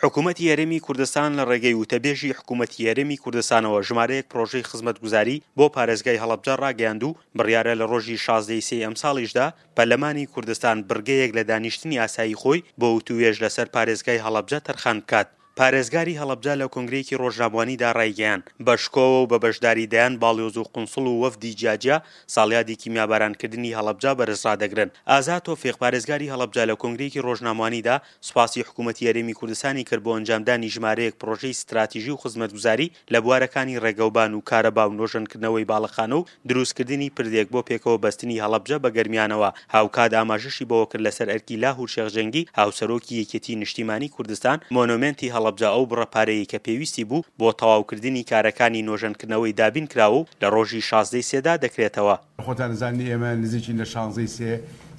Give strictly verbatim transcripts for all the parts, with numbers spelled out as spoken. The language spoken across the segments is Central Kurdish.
حکوومەتی هەرێمی کوردستان لە ڕێگەی وتەبێژی حکوومەتی هەرێمی کوردستانەوە ژمارەیەک پرۆژەی خزمەتگوزاری بۆ پارێزگای هەڵەبجە ڕاگەیاند و بڕیارە لە ڕۆژی شازدە ی سێی ئەمساڵیشدا پەرلەمانی کوردستان بڕگەیەک لە دانیشتنی ئاسایی خۆی بۆ وتووێژ لەسەر پارێزگای هەڵەبجە تەرخان بکات. پارێزگاری هەڵەبجە لە کۆنگرەیەکی ڕۆژنامەوانیدا ڕایگەیاند، بە شکۆوە و بە بەشداری دەیان باڵیۆز و قونسڵ و وەفدی جیاجیا ساڵیادی کیمیابارانکردنی هەڵەبجە بەرز ڕادەگرن. ئازاد تۆفیق، پارێزگاری هەڵەبجە لە کۆنگرەیەکی ڕۆژنامەوانیدا سوپاسی حکوومەتی هەرێمی کوردستانی کرد بۆ ئەنجامدانی ژمارەیەک پڕۆژەی ستراتیژی و خزمەتگوزاری لە بوارەکانی ڕێگەوبان و کارەبا و نۆژەنکردنەوەی باڵەخانە و دروستکردنی پردێک بۆ پێکەوە بەستنی هەڵەبجە بە گەرمیانەوە. هاوکات ئاماژەشی بەوە کرد لەسەر ئەرکی لاهور شێخ جەنگی هاوسەرۆکی یەکێتی نیشتیمانی کوردستان مۆنۆمێنتی هەڵەبجە ئەو بڕە پارەیەی کە پێویستی بوو بۆ تەواوکردنی کارەکانی نۆژەنکردنەوەی دابین کراوە و لە ڕۆژی شازدە ی سێدا دەکرێتەوە. خۆتان ئەزانن ئێمە نزیکین لە شانزە ی سێ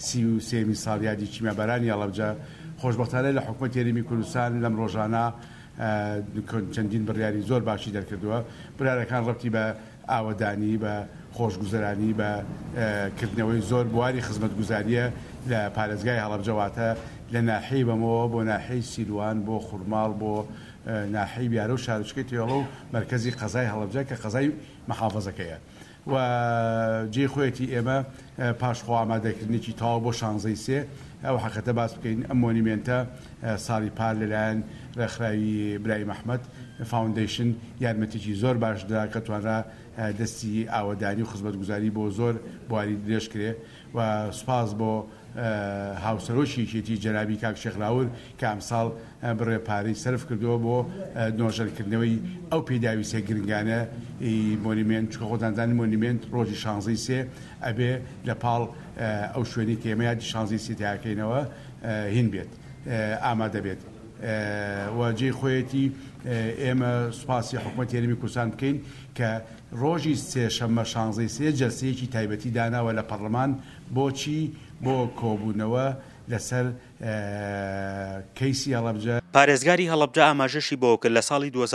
سی و سێیەمین ساڵیادی کیمیابارانی هەڵەبجە، خۆشبەختانە لە حکومەتی هەرێمی کوردستان لەم ڕۆژانە چەندین بڕیاری زۆر باشی دەرکردووە، بڕیارەکان ڕەبتی بە ئاوەدانی، بە خۆشگوزەرانی، بە کردنەوەی زۆر بواری خزمەتگوزارییە لە پارێزگای هەڵەبجە واتە لە ناحیەی بەمۆوە بۆ ناحیەی سیروان بۆ خورماڵ بۆ ناحیەی بیارە و شارۆچکەی تێڵە و مەرکەزی قەزای هەڵەبجە کە قەزای محافەزەکەیە و جێی خۆیەتی ئێمە پاش خۆ ئامادەکردنێکی تەواو بۆ شانزەی سێ ئەو حەقیقەتە باس بکەین ئەم مۆنیمێنتە ساڵی پار لەلایەن ڕێکخراوی برایم ئەحمەد فاوندەیشن یارمەتیی زۆر باش درا کە توانرا دەستی ئاوەدانی و خزمەتگوزاری بۆ زۆر بواری درێژ کرێ و سوپاس بۆ هاوسەرۆکی یەکێتی جەنابی کاک شێخ لاور کە ئەمساڵ بڕێ پارەی سەرف کردووە بۆ نۆژەنکردنەوەی ئەو پێداویستیە گرنگانە ی مۆنیمێنت، چونکە خۆتان دەزانن مۆنیمێنت ڕۆژی شانزەی سێ ئەبێ لە پاڵ ئەو شوێنەی کە ئێمە یادی شانزەی سێ تیاکەینەوە هین بێت ئامادە بێت و جێی خۆیەتی ئێمە سوپاسی حکومەتی هەرێمی کوردستان بکەین کە ڕۆژی سێشەممە شانزەی سێ جەلسەیەکی تایبەتی داناوە لە پەڕلەمان بۆچی؟ بۆ کۆبوونەوە لەسەر کەیسی هەڵەبجە. پارێزگاری هەڵەبجە ئاماژەشی بەوەکرد، لە ساڵی دوو هەزار